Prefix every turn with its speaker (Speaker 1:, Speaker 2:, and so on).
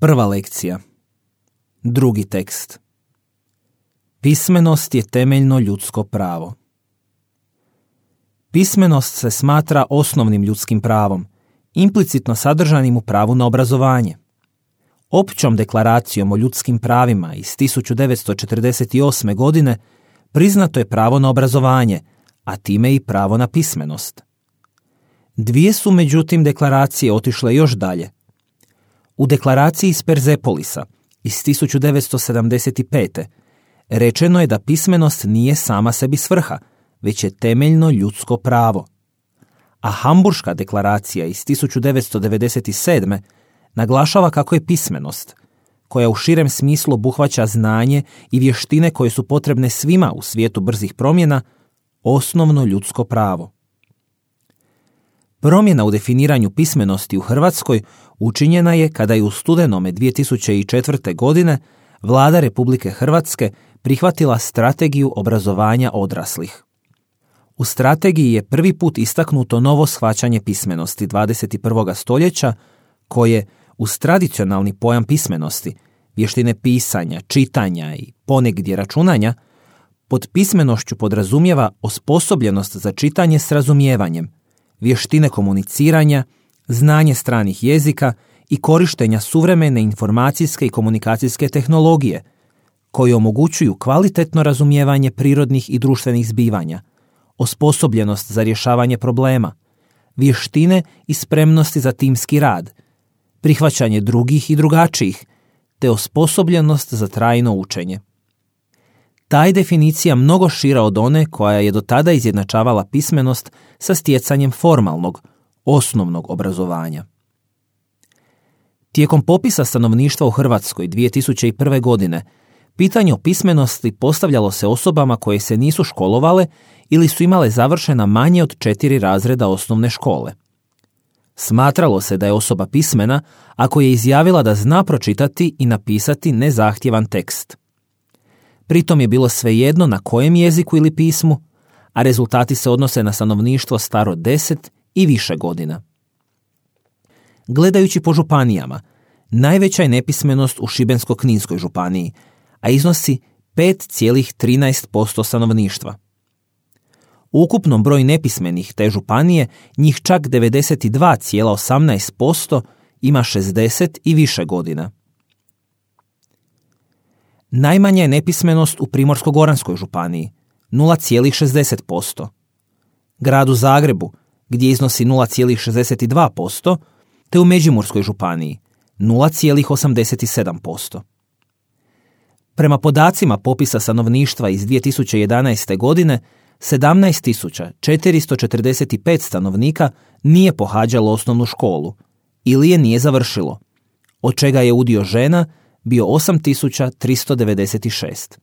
Speaker 1: Prva lekcija. Drugi tekst. Pismenost je temeljno ljudsko pravo. Pismenost se smatra osnovnim ljudskim pravom, implicitno sadržanim u pravu na obrazovanje. Općom deklaracijom o ljudskim pravima iz 1948. godine priznato je pravo na obrazovanje, a time i pravo na pismenost. Dvije su međutim deklaracije otišle još dalje. U deklaraciji iz Perzepolisa iz 1975. rečeno je da pismenost nije sama sebi svrha, već je temeljno ljudsko pravo. A Hamburška deklaracija iz 1997. naglašava kako je pismenost, koja u širem smislu obuhvaća znanje i vještine koje su potrebne svima u svijetu brzih promjena, osnovno ljudsko pravo. Promjena u definiranju pismenosti u Hrvatskoj učinjena je kada je u studenome 2004. godine Vlada Republike Hrvatske prihvatila Strategiju obrazovanja odraslih. U strategiji je prvi put istaknuto novo shvaćanje pismenosti 21. stoljeća koje, uz tradicionalni pojam pismenosti, vještine pisanja, čitanja i ponegdje računanja, pod pismenošću podrazumijeva osposobljenost za čitanje s razumijevanjem, vještine komuniciranja, znanje stranih jezika i korištenja suvremene informacijske i komunikacijske tehnologije, koje omogućuju kvalitetno razumijevanje prirodnih i društvenih zbivanja, osposobljenost za rješavanje problema, vještine i spremnosti za timski rad, prihvaćanje drugih i drugačijih, te osposobljenost za trajno učenje. Ta je definicija mnogo šira od one koja je do tada izjednačavala pismenost sa stjecanjem formalnog, osnovnog obrazovanja. Tijekom popisa stanovništva u Hrvatskoj 2001. godine pitanje o pismenosti postavljalo se osobama koje se nisu školovale ili su imale završena manje od 4 razreda osnovne škole. Smatralo se da je osoba pismena ako je izjavila da zna pročitati i napisati nezahtjevan tekst. Pritom je bilo svejedno na kojem jeziku ili pismu, a rezultati se odnose na stanovništvo staro 10 i više godina. Gledajući po županijama, najveća je nepismenost u Šibensko-kninskoj županiji, a iznosi 5,13% stanovništva. U ukupnom broju nepismenih te županije, njih čak 92,18% ima 60 i više godina. Najmanja je nepismenost u Primorsko-goranskoj županiji, 0,60%. Gradu Zagrebu, gdje iznosi 0,62%, te u Međimurskoj županiji, 0,87%. Prema podacima popisa stanovništva iz 2011. godine, 17.445 stanovnika nije pohađalo osnovnu školu ili je nije završilo, od čega je udio žena bio 8.396.